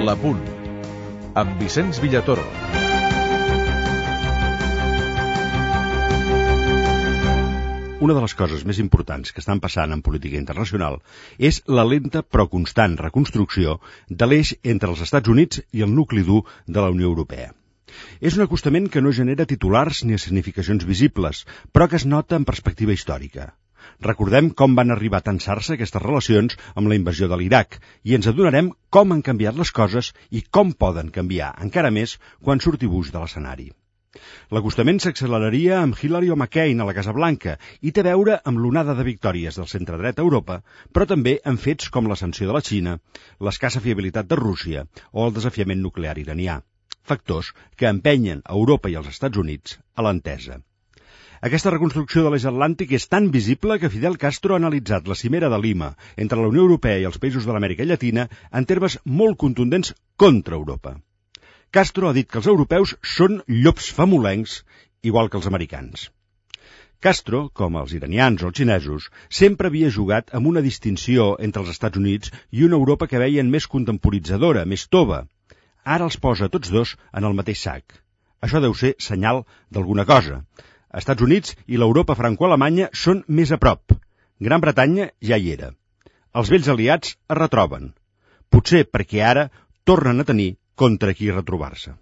L'Apunt, amb Vicenç Villatoro. Una de les coses més importants que estan passant en política internacional és la lenta però constant reconstrucció de l'eix entre els Estats Units i el nucli dur de la Unió Europea. És un acostament que no genera titulars ni significacions visibles, però que es nota en perspectiva històrica. Recordem com van arribar a tensar-se aquestes relacions amb la invasió de l'Iraq i ens adonarem com han canviat les coses i com poden canviar encara més quan surti Bush de l'escenari. L'acostament s'acceleraria amb Hillary o McCain a la Casa Blanca i té a veure amb l'onada de victòries del centre-dret a Europa, però també amb fets com la sanció de la Xina, l'escassa fiabilitat de Rússia o el desafiament nuclear iranià, factors que empenyen a Europa i als Estats Units a l'entesa. Aquesta reconstrucció de l'eix atlàntic és tan visible que Fidel Castro ha analitzat la cimera de Lima entre la Unió Europea i els països de l'Amèrica Llatina en termes molt contundents contra Europa. Castro ha dit que els europeus són llops famolencs, igual que els americans. Castro, com els iranians o els xinesos, sempre havia jugat amb una distinció entre els Estats Units i una Europa que veien més contemporitzadora, més tova. Ara els posa tots dos en el mateix sac. Això deu ser senyal d'alguna cosa. Estats Units i l'Europa franco-alemanya són més a prop. Gran Bretanya ja hi era. Els vells aliats es retroben. Potser perquè ara tornen a tenir contra qui retrobar-se.